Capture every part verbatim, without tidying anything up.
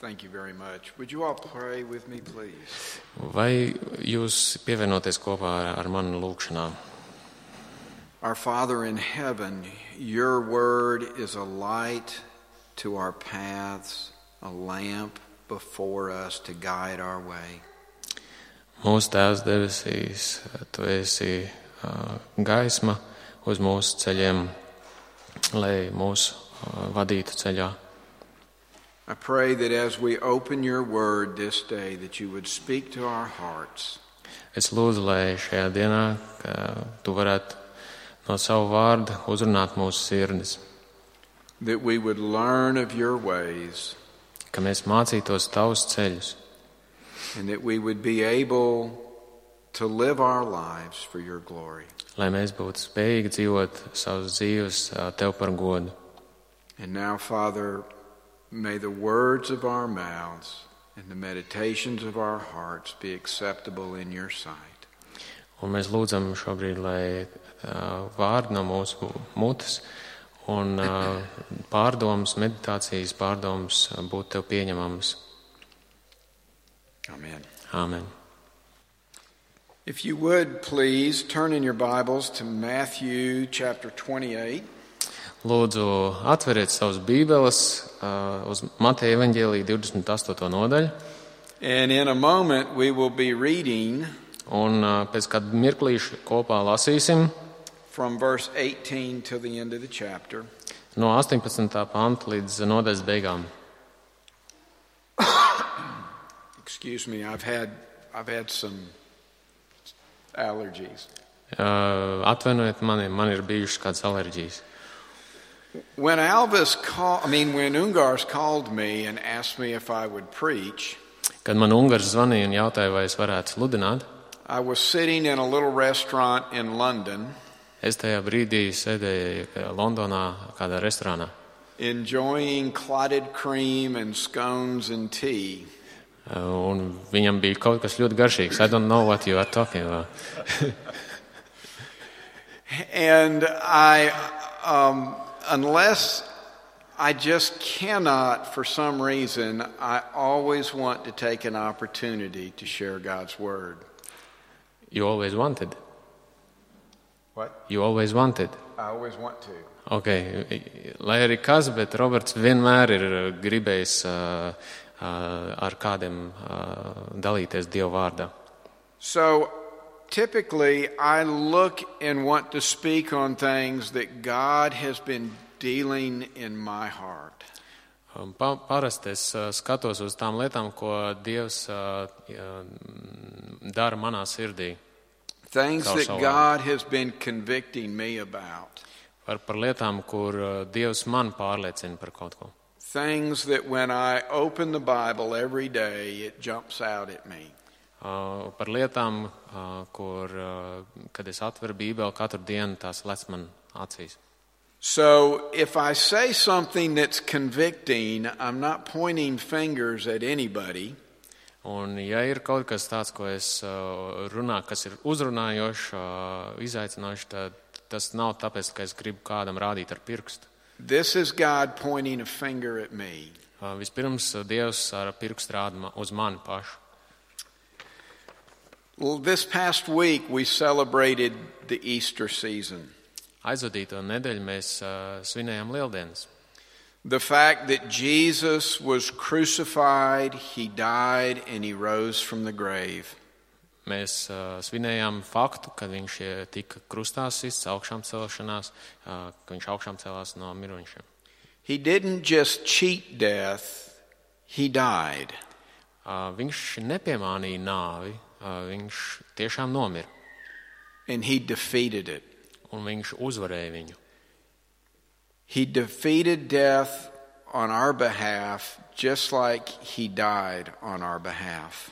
Thank you very much. Would you all pray with me, please? Vai jūs pievienoties kopā ar, ar mani lūgšanā? Our Father in heaven, your word is a light to our paths, a lamp before us to guide our way. Mūsu Tēvs debesīs, tu esi uh, gaisma uz mūsu ceļiem, lai mūs uh, vadītu ceļā. I pray that as we open your word this day, that you would speak to our hearts. Es lūdzu, lai šajā dienā ka tu varētu no savu vārdu uzrunāt mūsu sirdis, That we would learn of your ways, ka mēs mācītos tavus ceļus, and that we would be able to live our lives for your glory. lai mēs būtu spējīgi dzīvot savas dzīves uh, tev par godu. And now, Father, may the words of our mouths and the meditations of our hearts be acceptable in your sight. Un mēs lūdzam šobrīd, lai uh, vārdi no mūsu mutes un uh, pārdomas, meditācijas pārdomas uh, būtu tev pieņemamas. Amen. Āmen. If you would, please turn in your Bibles to Matthew chapter twenty-eight. Lūdzu, atveriet savus bībeles uh, uz Mateja evaņģēlija divdesmit astoto nodaļu. And in a moment we will be reading Un uh, pēc kāda mirklīša kopā lasīsim from verse eighteen to the end of the chapter. no astoņpadsmitā panta līdz nodaļas beigām. Excuse me, I've had I've had some allergies. Uh, atvainojiet mani, man ir bijušas kādas alerģijas. When Alvis called, I mean, when Ungars called me and asked me if I would preach, Kad man Ungars zvanīja un jautāja, vai es varētu sludināt, I was sitting in a little restaurant in London, es tajā brīdī sēdēju Londonā kādā restorānā. enjoying clotted cream and scones and tea. Uh, un viņam bija kaut kas ļoti garšīgs. I don't know what you are talking about. And I, um, unless I just cannot, for some reason, I always want to take an opportunity to share God's Word. You always wanted. What? You always wanted. I always want to. Okay. Lai arī kas, bet Roberts vienmēr ir gribējis uh, uh, ar kādiem uh, dalīties Dieva vārdā. So typically I look and want to speak on things that God has been dealing in my heart. Um, Pa, parasti es uh, skatos uz tām lietām, ko Dievs uh, dara manā sirdī. Things Caur that savu God has been convicting me about. Par, par lietām, kur uh, Dievs man pārliecina par kaut ko. Things that when I open the Bible every day, it jumps out at me. Uh, par lietām, uh, kur, uh, kad es atveru Bībeli katru dienu, tās lec man acīs. So if I say something that's convicting, I'm not pointing fingers at anybody. Un ja ir kaut kas tāds, ko es uh, runāju, kas ir uzrunājošs, uh, izaicinošs, tad tas nav tāpēc, ka es gribu kādam rādīt ar pirkstu. This is God pointing a finger at me. Uh, vispirms uh, Dievs ar pirkstu rāda ma- uz mani pašu. Well, this past week we celebrated the Easter season. Aizvadīto nedēļu mēs uh, svinējām Lieldienas. The fact that Jesus was crucified, he died, and he rose from the grave. Mēs uh, svinējām faktu, ka viņš uh, tika krustā sists augšām celšanās, uh, ka viņš augšām celās no mirušajiem. He didn't just cheat death, he died. Uh, viņš nepiemānīja nāvi, uh, viņš tiešām nomira, And he defeated it. un viņš uzvarēja viņu. He defeated death on our behalf just like he died on our behalf.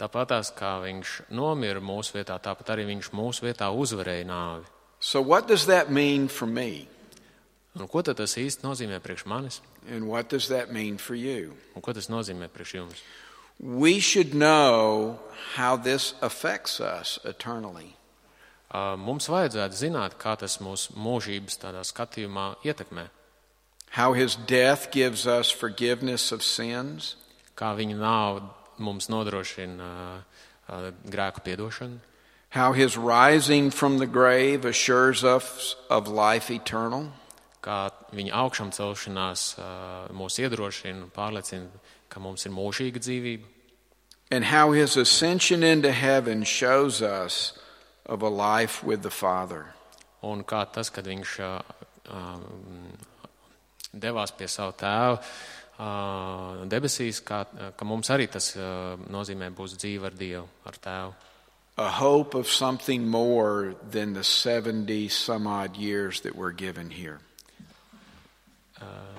Tāpatās kā viņš nomira mūsu vietā, tāpat arī viņš mūsu vietā uzvarēja nāvi. So what does that mean for me? Un ko tad tas īsti nozīmē priekš manis? And what does that mean for you? Un ko tas nozīmē priekš jums? We should know how this affects us eternally. Uh, mums vajadzētu zināt, kā tas mūsu mūžības tādā skatījumā ietekmē. How his death gives us forgiveness of sins. kā viņa nāve mums nodrošina grēku piedošanu. How his rising from the grave assures us of life eternal. Kā viņa augšām celšanās mūs iedrošina un pārliecina, ka mums ir mūžīga dzīvība. And how his ascension into heaven shows us of a life with the Father. Un kā tas, kad viņš um, devās pie savu tēvu uh, debesīs, kā, ka mums arī tas uh, nozīmē būs dzīve ar Dievu, ar tēvu. A hope of something more than the seventy some odd years that we're given here. Uh,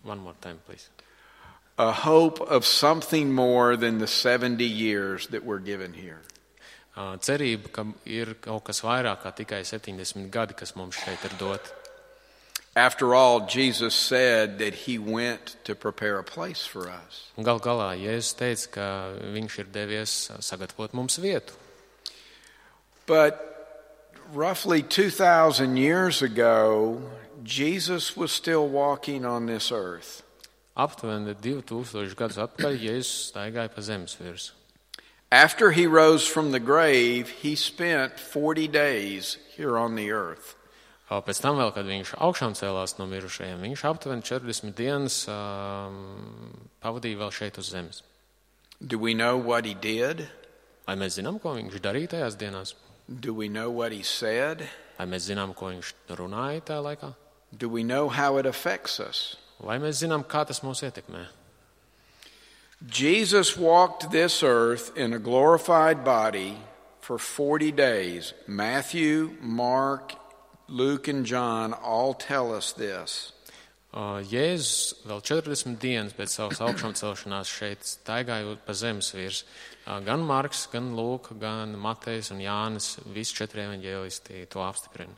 one more time, please. A hope of something more than the seventy years that we're given here. Uh, cerība, ka ir kaut kas vairāk kā tikai septiņdesmit gadi, kas mums šeit ir dot. After all, Jesus said that he went to prepare a place for us. Un gal galā Jēzus teica, ka viņš ir devies sagatavot mums vietu. But roughly two thousand years ago, Jesus was still walking on this earth. Aptuveni divi tūkstoši gadus atpakaļ Jēzus staigāja pa zemes virsmu. After he rose from the grave, he spent forty days here on the earth. Pēc tam vēl, kad viņš augšām cēlās no mirušajiem, viņš aptuveni četrdesmit dienas um, pavadīja vēl šeit uz zemes. Do we know what he did? Vai mēs zinām, ko viņš darīja tajās dienās? Do we know what he said? Vai mēs zinām, ko viņš runāja tajā laikā? Do we know how it affects us? Vai mēs zinām, kā tas mūs ietekmē? Jesus walked this earth in a glorified body for forty days. Matthew, Mark, Luke and John all tell us this. Uh, Jēzus vēl četrdesmit dienas pēc savas augšām celšanās šeit staigājot pa zemes virs. Uh, gan Marks, gan Lūka, gan Matejs un Jānis, visi četri evaņģēlisti to apstiprina.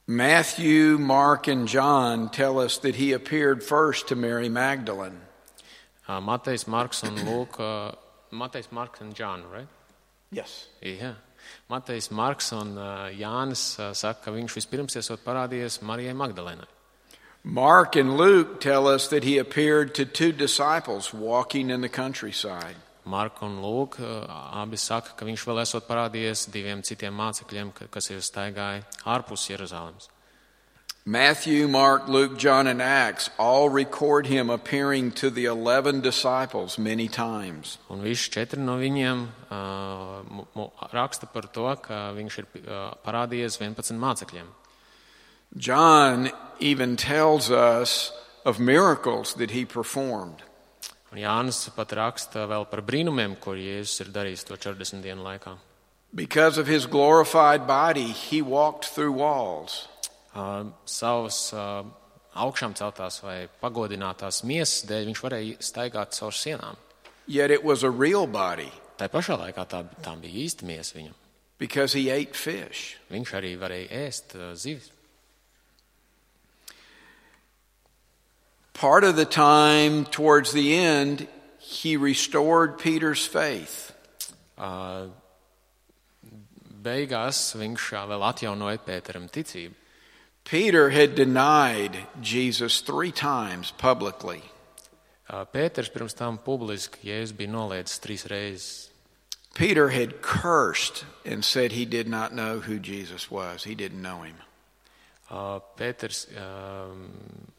Matthew, Mark and John tell us that he appeared first to Mary Magdalene. Uh, Matejs, Marks un Lūka, Matejs, Marks and John, right? Yes. Yeah. Matejs, Marks un uh, Jānis uh, saka, ka viņš vispirms esot parādījies Marijai Magdalēnai. Mark and Luke tell us that he appeared to two disciples walking in the countryside. Marka un Lūka uh, abi saka, ka viņš vēl esot parādījies diviem citiem mācekļiem, kas ir staigāja ārpus Jeruzalemes. Matthew, Mark, Luke, John and Acts all record him appearing to the eleven disciples many times. Un visi četri no viņiem uh, raksta par to, ka viņš ir uh, parādījies vienpadsmit mācekļiem. John even tells us of miracles that he performed. Un Jānis pat raksta vēl par brīnumiem, ko Jēzus ir darījis to četrdesmit dienu laikā. Because of his glorified body, he walked through walls. Uh, savas uh, augšām celtās vai pagodinātās miesas dēļ viņš varēja staigāt caur sienām. Yet it was a real body. Tā pašā laikā tā, tā bija īsta miesa viņam. Because he ate fish. Viņš arī varēja ēst uh, zivis. Part of the time towards the end, he restored Peter's faith. Uh, beigās viņš uh, vēl atjaunoja Pēteram ticību. Peter had denied Jesus three times publicly. Pēters pirms tam publiski Jēzus bija noliedzis trīs reizes. Peter had cursed and said he did not know who Jesus was. He didn't know him. Pēters um,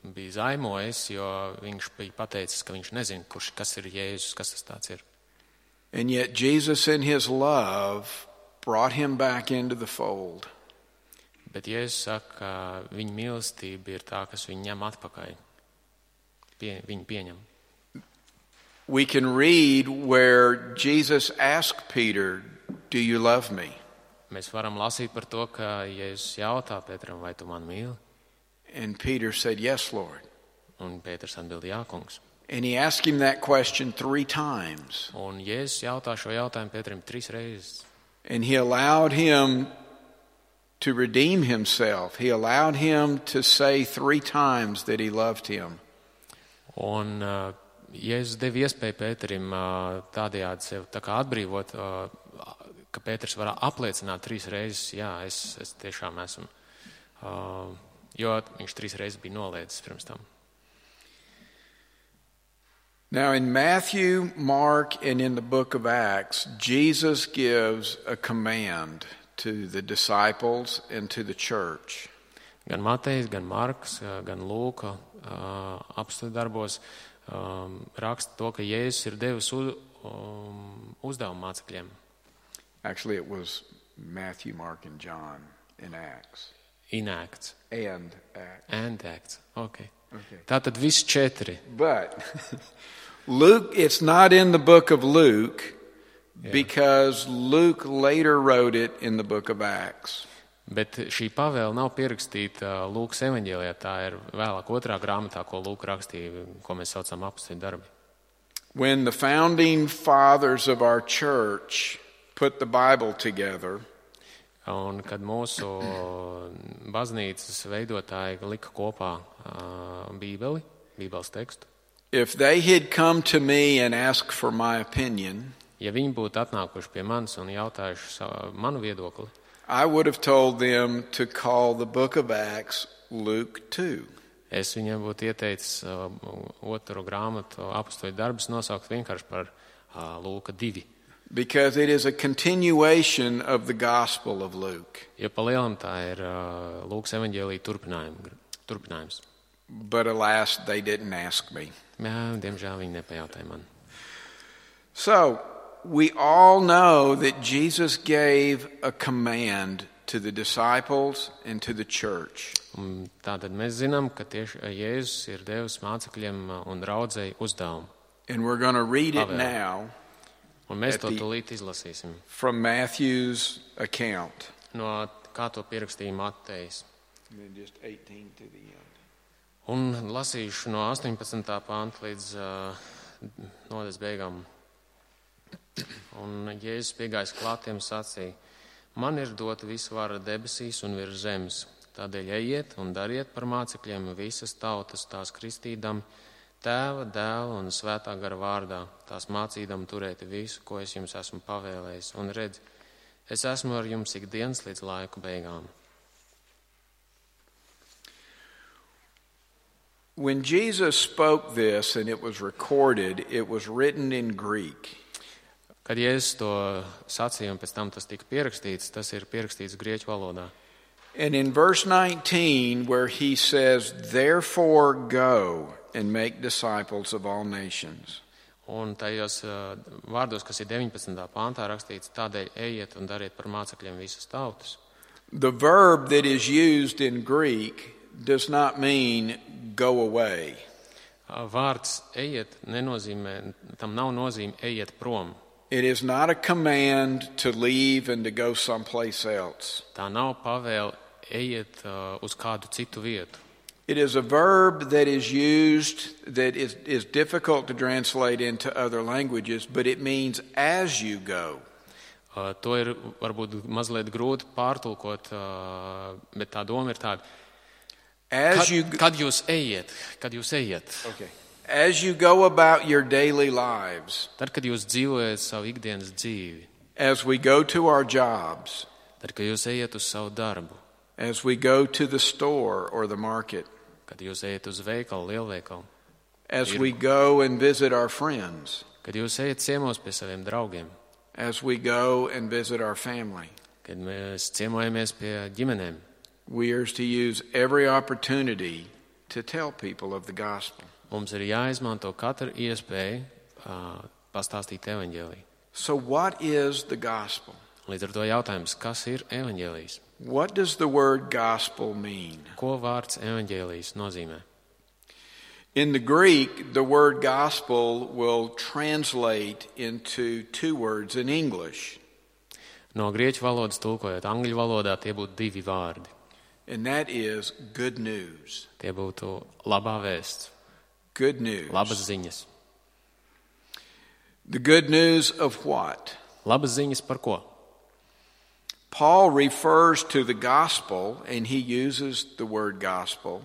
bija zaimojis, jo viņš bija pateicis, ka viņš nezina, kurš, kas ir Jēzus, kas tas tāds ir. And yet Jesus in his love brought him back into the fold. Bet Jēzus saka, ka viņa mīlestība ir tā, kas viņu ņem atpakaļ. Pie, viņu pieņem. We can read where Jesus asked Peter, "Do you love me?" Mēs varam lasīt par to, ka Jēzus jautā Pēteram, vai tu mani mīli? And Peter said, "Yes, Lord." Un Pēters atbild, jā, kungs. And he asked him that question three times. Un Jēzus jautā šo jautājumu Pēteram trīs reizes. And he allowed him to redeem himself. He allowed him to say three times that he loved him. Un uh, Jēzus deva iespēju Pēterim uh, tādējādi sev tā kā atbrīvot, uh, ka Pēters var apliecināt trīs reizes, jā, es, es tiešām esmu uh, jo viņš trīs reizes bija noliedzis pirms tam. Now in Matthew, Mark, and in the book of Acts, Jesus gives a command to the disciples and to the church. Gan Matejs, gan Marks, gan Lūka apstuļu darbos um, raksta to, ka Jēzus ir devis uz, um, uzdevumu mācekļiem. Actually, it was Matthew, Mark, and John in Acts. In Acts. And Acts. And Acts. Okay. Okay. Tātad viss četri. But Luke, it's not in the book of Luke yeah. because Luke later wrote it in the book of Acts. Bet šī pavēle nav pierakstīta Lūkas evaņģēlijā, tā ir vēlāk otrā grāmatā, ko Lūka rakstīja, ko mēs saucam apstuļu darbi. When the founding fathers of our church put the Bible together, un kad mūsu baznīcas veidotāji lika kopā uh, Bībeli, Bībeles tekstu, if they had come to me and asked for my opinion, ja viņi būtu atnākuši pie manis un jautājuši savu, manu viedokli, I would have told them to call the book of Acts Luke two. Es viņiem būtu ieteicis uh, otru grāmatu apstuļu darbus nosaukt vienkārši par uh, Lūka divi. Because it is a continuation of the Gospel of Luke. Jo pa lielam tā ir uh, Lūkas evaņģēlija turpinājums. But alas, they didn't ask me. Jā, diemžēl viņi nepajautāja man. So, we all know that Jesus gave a command to the disciples and to the church. Un tātad mēs zinām, ka tieši Jēzus ir devis mācekļiem un draudzei uzdevumu. And we're going to read it now. Un mēs to tūlīt izlasīsim. From Matthew's account. No kā to pierakstīja Matejs. And then just eighteen to the end. Un lasīšu no astoņpadsmitā panta līdz uh, nodaļas beigām. Un Jēzus piegājis klātiem sacīja: Man ir dota visa vara debesīs un virs zemes. Tādēļ ejiet un dariet par mācekļiem visas tautas, tās kristīdam Tēva, Dēla un Svētā gara vārdā, tās mācīdam turēt visu, ko es jums esmu pavēlējis. Un redz, es esmu ar jums ikdienas līdz laiku beigām. When Jesus spoke this and it was recorded, it was written in Greek. Kad Jēzus to sacīja un pēc tam tas tika pierakstīts, tas ir pierakstīts grieķu valodā. And in verse nineteen, where he says, therefore go and make disciples of all nations. Un tajos uh, vārdos, kas ir deviņpadsmitā pāntā rakstīts, tādēļ ejiet un dariet par mācekļiem visas tautas. The verb that is used in Greek does not mean go away. Uh, vārds ejiet nenozīmē, tam nav nozīme ejiet prom. It is not a command to leave and to go someplace else. Tā nav pavēle ejiet uh, uz kādu citu vietu. It is a verb that is used that is, is difficult to translate into other languages, but it means as you go. Uh, to ir varbūt mazliet grūti pārtulkot, uh, bet tā doma ir tāda. As kad, you, kad jūs ejiet, kad jūs ejiet. Okay. As you go about your daily lives. Tad, kad jūs dzīvojat savu ikdienas dzīvi. As we go to our jobs. Tad, kad jūs ejiet uz savu darbu. As we go to the store or the market. Kad jūs ejat uz veikalu, lielveikalu. As we go and visit our friends. Kad jūs ejat ciemos pie saviem draugiem. As we go and visit our family. Kad mēs ciemojamies pie ģimenēm. We are to use every opportunity to tell people of the gospel. Mums ir jāizmanto katra iespēja uh, pastāstīt evaņģēliju. So what is the gospel? Līdz ar to jautājums, kas ir evaņģēlijs? What does the word gospel mean? Ko vārds evaņģēlijs nozīmē? In the Greek, the word gospel will translate into two words in English. No grieķu valodas tulkojot angļu valodā, tie būtu divi vārdi. And that is good news. Tie būtu labā vēsts. Good news. Labas ziņas. The good news of what? Labas ziņas par ko? Paul refers to the gospel, and he uses the word gospel.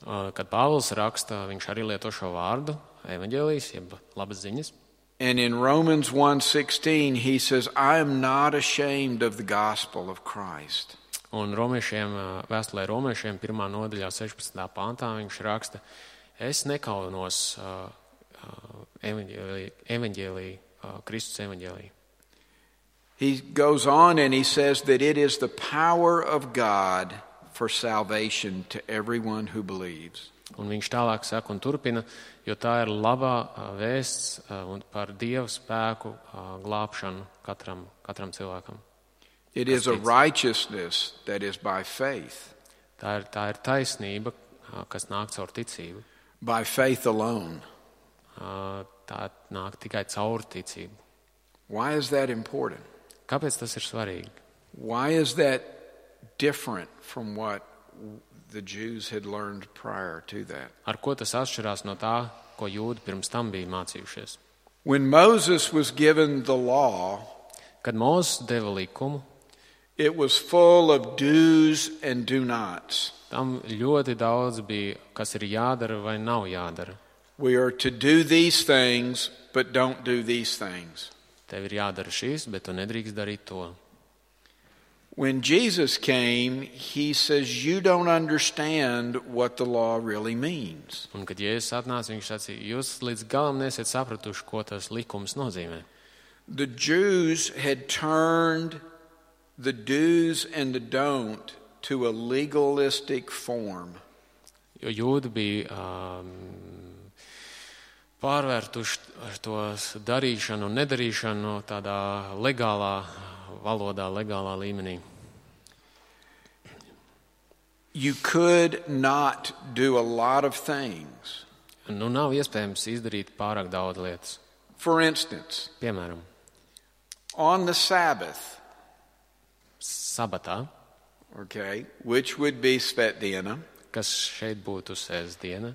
Kad Pāvils raksta, viņš arī lieto šo vārdu, evaņģēlijs, jeb labas ziņas. And in Romans one sixteen, he says, I am not ashamed of the gospel of Christ. Un romiešiem, vēstulē romiešiem pirmā nodaļā sešpadsmitā pantā viņš raksta, es nekaunos uh, evaņģēlī, evaņģēlī, uh, Kristus evaņģēlī. He goes on and he says that it is the power of God for salvation to everyone who believes. Un viņš tālāk saka un turpina, jo tā ir labā vēsts par Dieva spēku glābšanu katram, katram cilvēkam. It is a righteousness that is by faith. Tā ir, tā ir taisnība, kas nāk caur ticību. By faith alone. Tā nāk tikai caur ticību. Why is that important? Kāpēc tas ir svarīgi? Why is that different from what the Jews had learned prior to that? Ar ko tas atšķirās no tā, ko jūdi pirms tam bija mācījušies? When Moses was given the law, kad Mūzes deva likumu, it was full of do's and do nots. Tam ļoti daudz bija, kas ir jādara vai nav jādara. We are to do these things, but don't do these things. Tev ir jādara šīs, bet tu nedrīkst darīt to. When Jesus came, he says, you don't understand what the law really means. Un kad Jēzus atnāca, viņš sacīja, jūs līdz galam nesiet sapratuši, ko tas likums nozīmē. The Jews had turned the do's and the don't to a legalistic form. Jo jūdi bija um, pārvērtuši to darīšanu un nedarīšanu tādā legālā valodā, legālā līmenī. You could not do a lot of things. Nu, nav iespējams izdarīt pārāk daudz lietas. For instance, piemēram, on the Sabbath, sabatā, okay, which would be svētdiena, kas šeit būtu sēsdiena,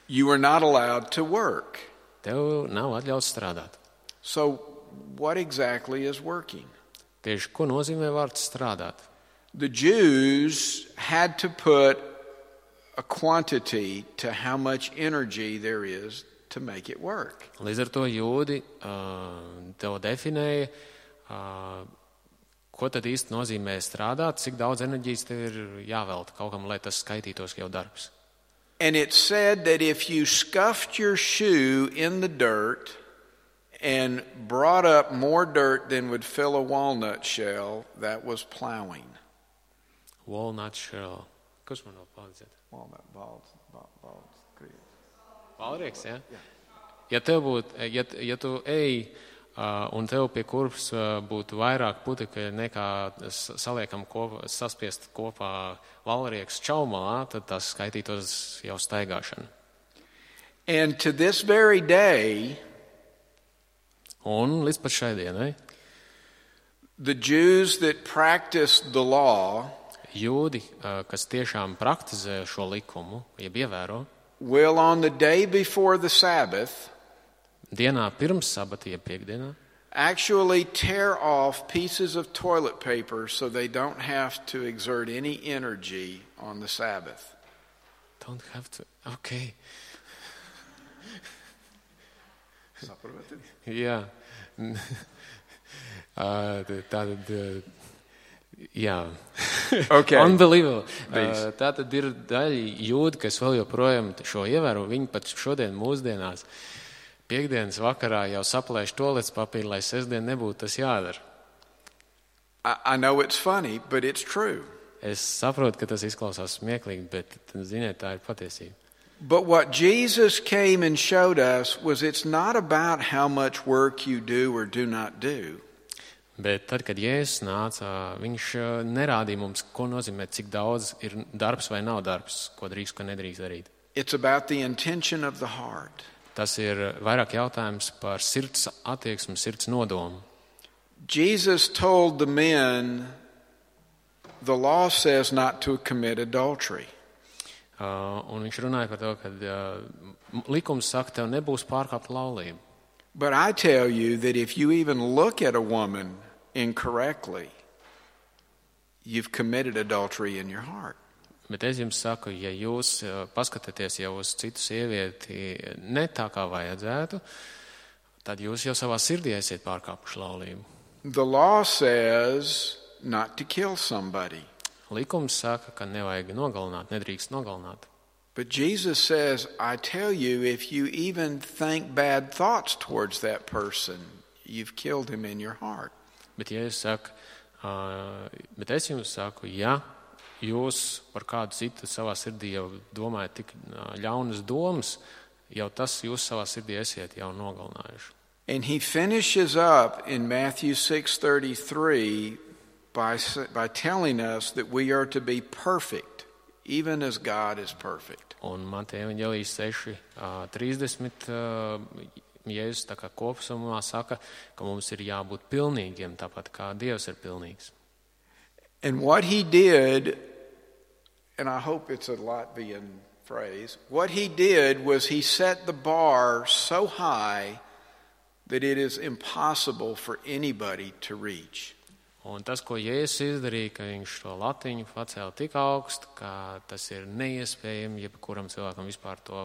you were not allowed to work. Tev nav atļauts strādāt. So what exactly is working? Tieši ko nozīmē vārds strādāt? The Jews had to put a quantity to how much energy there is to make it work. Līdz ar to jūdi uh, tev definēja, uh, ko tad īsti nozīmē strādāt, cik daudz enerģijas tev ir jāvelta kaut kam, lai tas skaitītos jau darbs. And it said that if you scuffed your shoe in the dirt and brought up more dirt than would fill a walnut shell, that was plowing. Walnut shell. Kas man vēl palīdzēt? Walnut balls. balls. Valrieks, ja? Jā. Ja tev būtu, ja, ja tu ej uh, un tev pie kurpes uh, būtu vairāk putekļu nekā saliekam kopā, saspiest kopā valrieks čaumalā, tad tas skaitītos jau staigāšana. And to this very day, un līdz pat šai dienai, the Jews that practiced the law jūdi, kas tiešām praktizē šo likumu, jeb ievēro, will on the day before the Sabbath dienā pirms sabata, jeb piekdienā, actually tear off pieces of toilet paper so they don't have to exert any energy on the Sabbath. Don't have to, okay. Jā. Tātad, jā. Okay. Unbelievable. Uh, tātad ir daļa jūdi, kas vēl joprojām šo ievēro. Viņi pat šodien mūsdienās piekdienas vakarā jau saplēš toalets papīru, lai sestdien nebūtu tas jādara. I, I know it's funny, but it's true. Es saprotu, ka tas izklausās smieklīgi, bet, ziniet, tā ir patiesība. But what Jesus came and showed us was it's not about how much work you do or do not do. Bet tad, kad Jēzus nāca, viņš nerādīja mums, ko nozīmē, cik daudz ir darbs vai nav darbs, ko drīkst, ko nedrīkst darīt. It's about the intention of the heart. Tas ir vairāk jautājums par sirds attieksmi, sirds nodomu. Jesus told the men, the law says not to commit adultery. Uh, un viņš runāja par to, ka uh, likums saka, tev nebūs pārkāpt laulību. But I tell you that if you even look at a woman incorrectly, you've committed adultery in your heart. Bet es jums saku, ja jūs uh, paskatāties jau uz citu sievieti ne tā kā vajadzētu, tad jūs jau savā sirdī esiet pārkāpuši laulību. The law says not to kill somebody. Likums saka, ka nevajag nogalināt, nedrīkst nogalināt. But Jesus says, I tell you, if you even think bad thoughts towards that person, you've killed him in your heart. Bet Jēzus saka, uh, bet es jums saku, ja jūs par kādu citu savā sirdī jau domājat tik uh, ļaunas domas, jau tas jūs savā sirdī esiet jau nogalinājuši. And he finishes up in Matthew six thirty-three by, by telling us that we are to be perfect, even as God is perfect. Un Mateja evaņģēlijas seši trīsdesmit Jēzus tā kā kopsumā saka, ka mums ir jābūt pilnīgiem, tāpat kā Dievs ir pilnīgs. And what he did, and I hope it's a Latvian phrase, what he did was he set the bar so high that it is impossible for anybody to reach. Un tas, ko Jēzus izdarīja, ka viņš šo latiņu pacēla tik augstu, ka tas ir neiespējami, jebkuram cilvēkam vispār to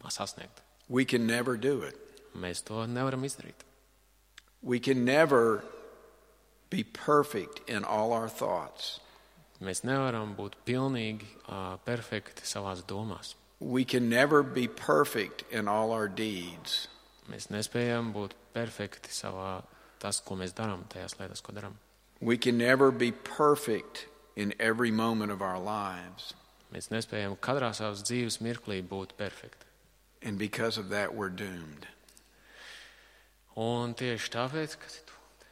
sasniegt. We can never do it. Mēs to nevaram izdarīt. We can never be perfect in all our thoughts. Mēs nevaram būt pilnīgi uh, perfekti savās domās. We can never be perfect in all our deeds. Mēs nespējam būt perfekti savā tas, ko mēs darām, tajās lietās, ko darām. We can never be perfect in every moment of our lives. Mēs nespējam katrā savas dzīves mirklī būt perfekti. And because of that, we're doomed. Un tieši tāpēc, kas ir doomed?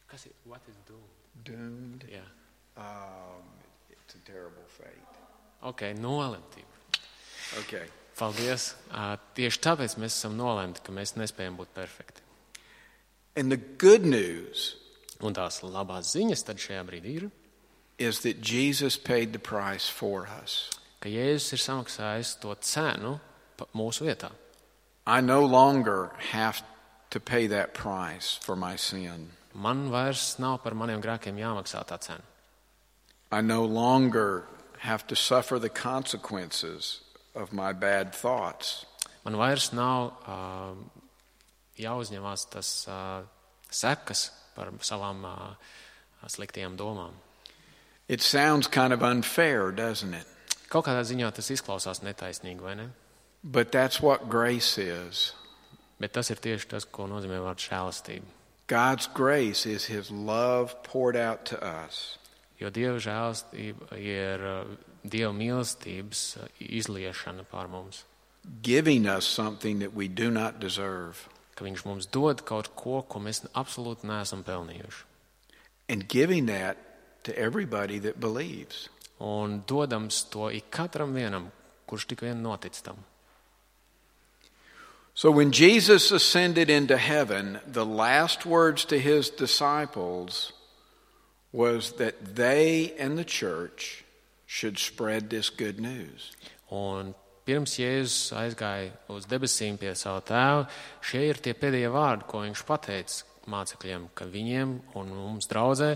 Kas ir, what is doomed? Doomed? Yeah. Um, it's a terrible fate. Ok, nolemtība. Okay. Paldies. Uh, tieši tāpēc mēs esam nolemti, ka mēs nespējam būt perfekti. And the good news Un tās labās ziņas tad šajā brīdī ir, is that Jesus paid the price for us. ka Jēzus ir samaksājis to cenu mūsu vietā. I no longer have to pay that price for my sin. Man vairs nav par maniem grēkiem jāmaksā tā cena. I no longer have to suffer the consequences of my bad thoughts. Man vairs nav uh, jāuzņemās tas uh, sekas par savām uh, sliktajām domām. It sounds kind of unfair, doesn't it? Kaut kādā ziņā tas izklausās netaisnīgi, vai ne? But that's what grace is. Bet tas ir tieši tas, ko nozīmē vārds žēlastība. God's grace is his love poured out to us. Jo Dieva žēlastība ir uh, Dieva mīlestības uh, izliešana pār mums. Giving us something that we do not deserve. Ka viņš mums dod kaut ko, ko mēs absolūti neesam pelnījuši. And giving that to everybody that believes. Un dodams to ik katram vienam, kurš tik vien notic tam. So when Jesus ascended into heaven, the last words to his disciples was that they and the church should spread this good news. Un pirms Jēzus aizgāja uz debesīm pie sava tēva, šie ir tie pēdējie vārdi, ko viņš pateica mācekļiem, ka viņiem un mums draudzē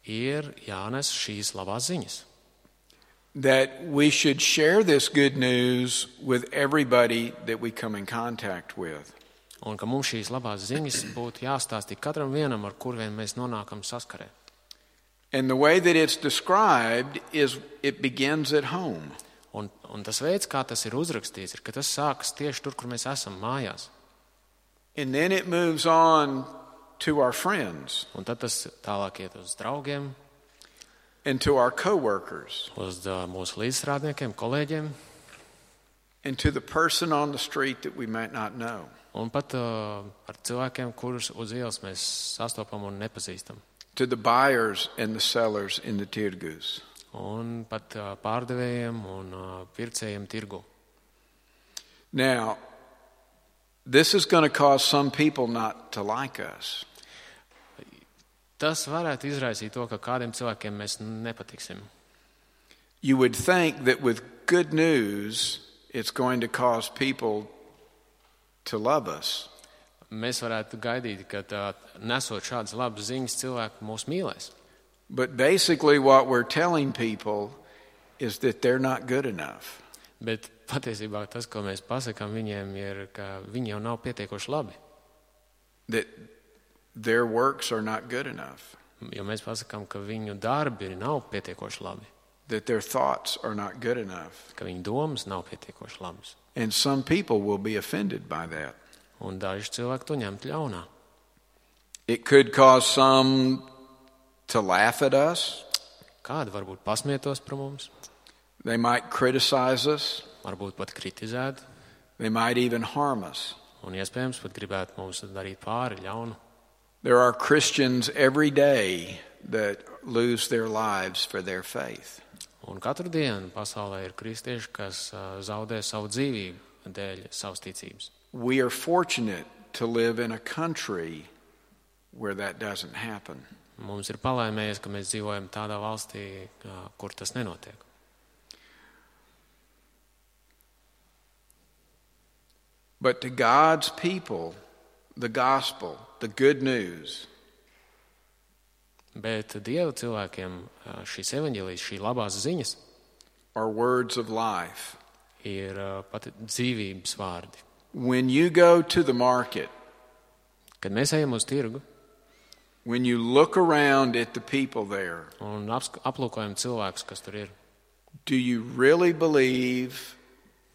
ir jānes šīs labās ziņas. That we should share this good news with everybody that we come in contact with. Un ka mums šīs labās ziņas būtu jāstāsta katram vienam, ar kur vien mēs nonākam saskarē. And the way that it's described is it begins at home. Un, un tas veids, kā tas ir uzrakstīts, ir, ka tas sākas tieši tur, kur mēs esam mājās. And then it moves on to our friends. Un tad tas tālāk iet uz draugiem, and to our co-workers, uz uh, mūsu līdzstrādniekiem, kolēģiem, and to the person on the street that we might not know. Un pat uh, ar cilvēkiem, kurus uz ielas mēs sastopam un nepazīstam. To the buyers and the sellers in the tirgus. Un pat uh, pārdevējiem un uh, pircējiem tirgu. Now, this is going to cause some people not to like us. Tas varētu izraisīt to, ka kādiem cilvēkiem mēs nepatiksim. You would think that with good news, it's going to cause people to love us. Mēs varētu gaidīt, ka tā, nesot šādas labas ziņas, cilvēki mūs mīlēs. But basically what we're telling people is that they're not good enough. Bet patiesībā tas, ko mēs pasakām viņiem, ir, ka viņi jau nav pietiekoši labi. That their works are not good enough. Jo mēs pasakām, ka viņu darbi nav pietiekoši labi, that their thoughts are not good enough. ka viņu domas nav pietiekoši labas. And some people will be offended by that. Un daži cilvēki to ņemt ļaunā. It could cause some to laugh at us. Kādi varbūt pasmietos par mums, They might criticize us. varbūt pat kritizēt, They might even harm us. un iespējams pat gribētu mums darīt pāri ļaunu. There are Christians every day that lose their lives for their faith. Un katru dienu pasaulē ir kristieši, kas uh, zaudē savu dzīvību dēļ savas ticības. We are fortunate to live in a country where that doesn't happen. Mums ir palaimējies, ka mēs dzīvojam tādā valstī, uh, kur tas nenotiek. But to God's people, the gospel, the good news, Bet Dieva cilvēkiem uh, šīs evaņģēlijas, šī labās ziņas are words of life. ir uh, pat dzīvības vārdi. When you go to the market, Kad mēs ejam uz tirgu when you look around at the people there, un apsk- aplūkojam cilvēkus, kas tur ir, do you really believe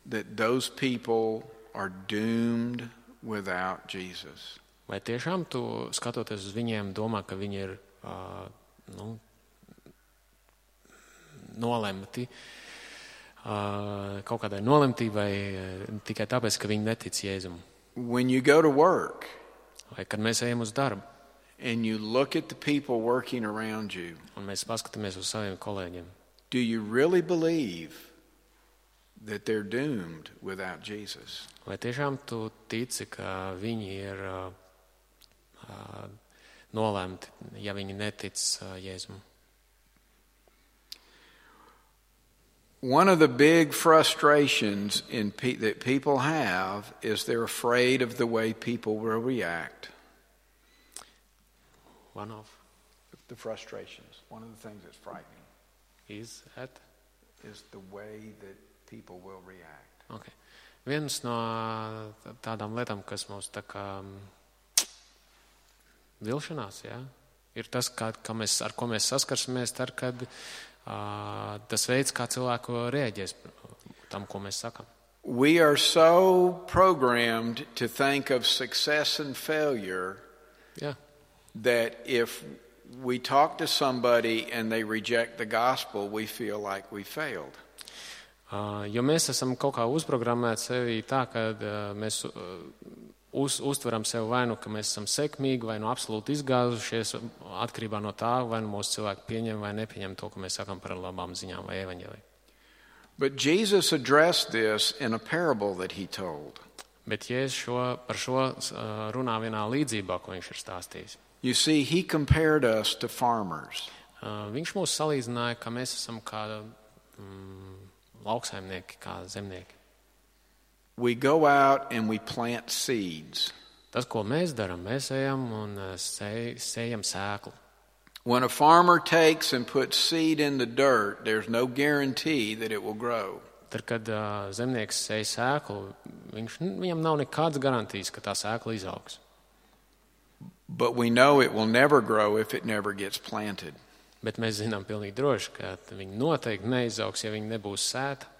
that those people are doomed without Jesus? vai tiešām tu, skatoties uz viņiem, domā, ka viņi ir uh, nu, nolemti uh, kaut kādai nolemtībai uh, tikai tāpēc, ka viņi netic Jēzum? When you go to work Vai kad mēs ejam uz darbu and you look at the people working around you, un mēs paskatāmies uz saviem kolēģiem, do you really believe that they're doomed without Jesus? vai tiešām tu tici, ka viņi ir uh, uh, nolemti, ja viņi netic uh, Jēzum? One of the big frustrations in pe- that people have is they're afraid of the way people will react. One of The frustrations. One of the things that's frightening is at is the way that people will react. Okay. Viens no tādām lietām, kas mums tā kā vilšanās, jā, ir tas, kā, kā mēs, ar ko mēs saskarsimies, tad, kad uh, tas veids, kā cilvēku reaģēs tam, ko mēs sakam. We are so programmed to think of success and failure Jā, that if we talk to somebody and they reject the gospel, we feel like we failed. uh, jo mēs esam kaut kā uzprogrammēti sevi tā, ka uh, mēs uh, uz, uztveram sevi vai nu, ka mēs esam sekmīgi, vai nu absolūti izgāzušies atkarībā no tā, vai nu mūsu cilvēki pieņem vai nepieņem to, ko mēs sakam par labām ziņām vai evaņģēliju. But Jesus addressed this in a parable that he told. Bet Jēzus šo, par šo uh, runā vienā līdzībā, ko viņš ir stāstījis. You see, he compared us to farmers. Uh, viņš mūs salīdzināja, ka mēs esam kā mm, lauksaimnieki, kā zemnieki. We go out and we plant seeds. Tas, ko mēs darām, mēs ejam un uh, sēj, sējam sēklu. When a farmer takes and puts seed in the dirt, there's no guarantee that it will grow. Tad, kad uh, zemnieks sēj sēklu, viņš, viņam nav nekādas garantijas, ka tā sēkla izaugs. But we know it will never grow if it never gets planted. Bet mēs zinām pilnīgi droši, ka viņi noteikti neizaugs, ja viņi nebūs sēta.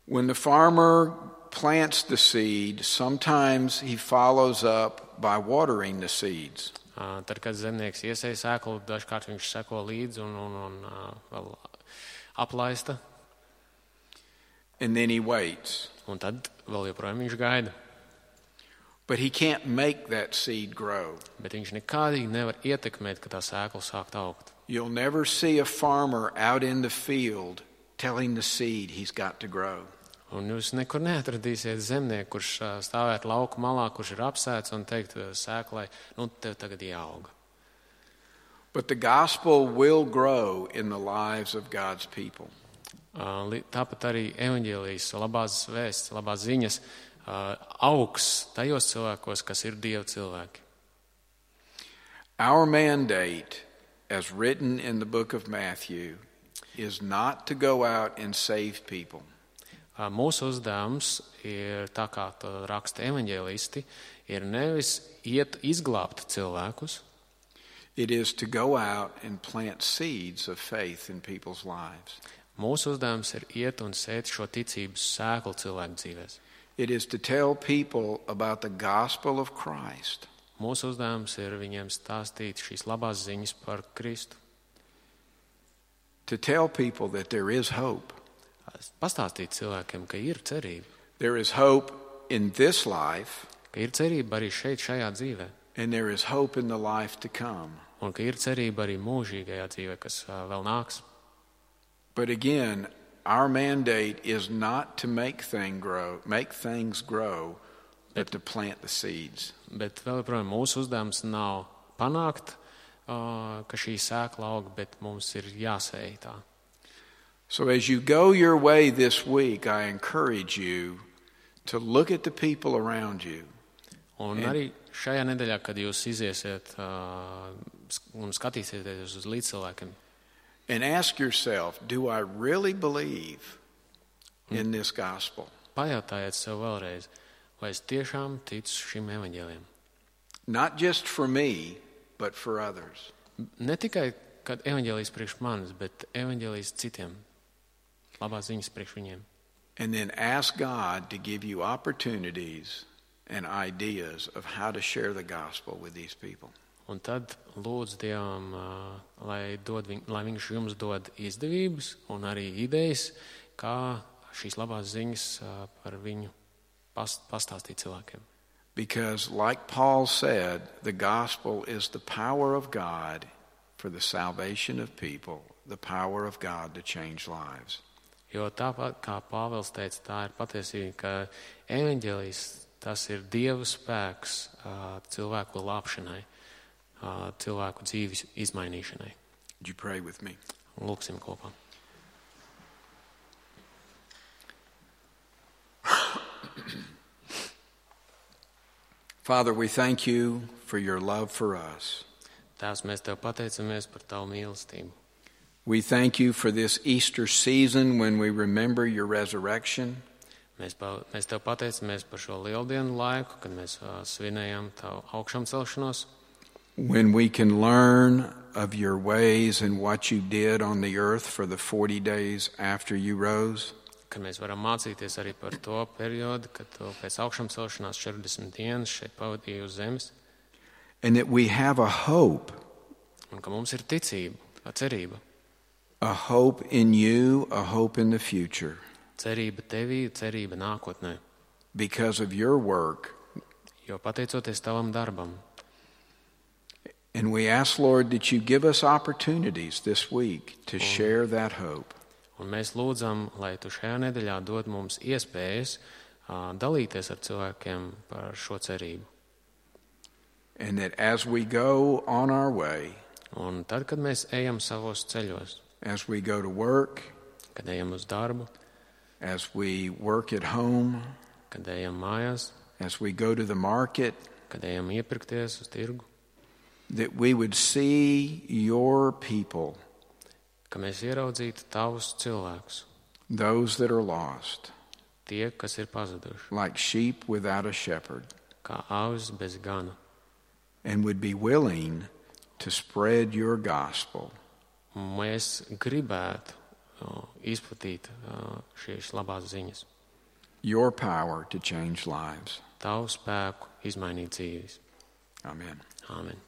When the farmer plants the seed, sometimes he follows up by watering the seeds. Uh, tad, kad zemnieks iesēja sēklu, dažkārt viņš seko līdzi un, un, un uh, vēl aplaista. And then he waits. Un tad vēl joprojām viņš gaida. But he can't make that seed grow. Bet viņš nekādīgi nevar ietekmēt, ka tā sēkla sākt augt. You'll never see a farmer out in the field telling the seed he's got to grow. Un jūs nekur neatradīsiet zemnieku, kurš ā, stāvēt lauku malā, kurš ir apsēts un teikt ā, sēklai, nu tev tagad jāauga. But the gospel will grow in the lives of God's people. Ā, li- Tāpat arī evaņģēlijas, labās vēsts, labās ziņas ā, augs tajos cilvēkos, kas ir Dieva cilvēki. Our mandate, as written in the book of Matthew, is not to go out and save people. Ā, Mūsu uzdevums ir, tā kā to raksta evaņģēlisti, ir nevis iet izglābt cilvēkus, It is to go out and plant seeds of faith in people's lives. Mūsu uzdevums ir iet un sēt šo ticības sēklu cilvēku dzīvēs. It is to tell people about the gospel of Christ. Mūsu uzdevums ir viņiem stāstīt šīs labās ziņas par Kristu. To tell people that there is hope. Pastāstīt cilvēkiem, ka ir cerība. There is hope in this life. Ka ir cerība arī šeit, šajā dzīvē. And there is hope in the life to come. Un ka ir cerība arī mūžīgajā dzīvē, kas uh, vēl nāks. But again, our mandate is not to make thing grow, make things grow, but to plant the seeds. Bet vēl joprojām mūsu uzdevums nav panākt, uh, ka šī sēkla aug, bet mums ir jāsēj tā. So as you go your way this week, I encourage you to look at the people around you. Un and, arī šajā nedēļā, kad jūs iziesiet uh, un skatīsieties uz līdzcilvēkiem, and ask yourself, do I really believe in this gospel? pajautājiet sev vēlreiz, vai es tiešām ticu šim evaņģēlijam. Not just for me, but for others. Ne tikai, kad evaņģēlijs priekš manis, bet evaņģēlijs citiem. Labās ziņas priekš viņiem. And then ask God to give you opportunities and ideas of how to share the gospel with these people. Un tad lūdzu Dievam, lai, dod viņ, lai viņš jums dod izdevības un arī idejas, kā šīs labās ziņas par viņu past, pastāstīt cilvēkiem. Because like Paul said, the gospel is the power of God for the salvation of people, the power of God to change lives. Jo tāpat kā Pāvils teica, tā ir patiesība, ka evaņģēlijs tas ir Dieva spēks cilvēku glābšanai, cilvēku dzīves izmainīšanai. Would you pray with me? Lūksim kopā. Father, we thank you for your love for us. Tēvs, mēs Tev pateicamies par Tavu mīlestību. We thank you for this Easter season when we remember your resurrection. Mēs, pa, mēs Tev pateicamies par šo lieldienu laiku, kad mēs uh, svinējam Tavu augšām celšanos. When we can learn of your ways and what you did on the earth for the forty days after you rose. Kad mēs varam mācīties arī par to periodu, kad Tu pēc augšām celšanās četrdesmit dienas šeit pavadīji uz zemes. And that we have a hope. Un ka mums ir ticība, cerība. A hope in you, a hope in the future. Cerība Tevī, cerība nākotnē. Because of your work. Jo pateicoties Tavam darbam. And we ask, Lord, that you give us opportunities this week to share that hope. Un mēs lūdzam, lai Tu šajā nedēļā dod mums iespējas uh, dalīties ar cilvēkiem par šo cerību. And that as we go on our way, un tad, kad mēs ejam savos ceļos, as we go to work, kad ejam uz darbu, as we work at home, kad ejam mājās, as we go to the market, kad ejam iepirkties uz tirgu, that we would see your people, ka mēs ieraudzītu Tavus cilvēkus, those that are lost, tie, kas ir pazuduši, like sheep without a shepherd, kā avis bez gana, and would be willing to spread your gospel. Mēs gribētu uh, izplatīt uh, šīs labās ziņas. Your power to change lives. Tavu spēku izmainīt dzīves. Amen. Āmen.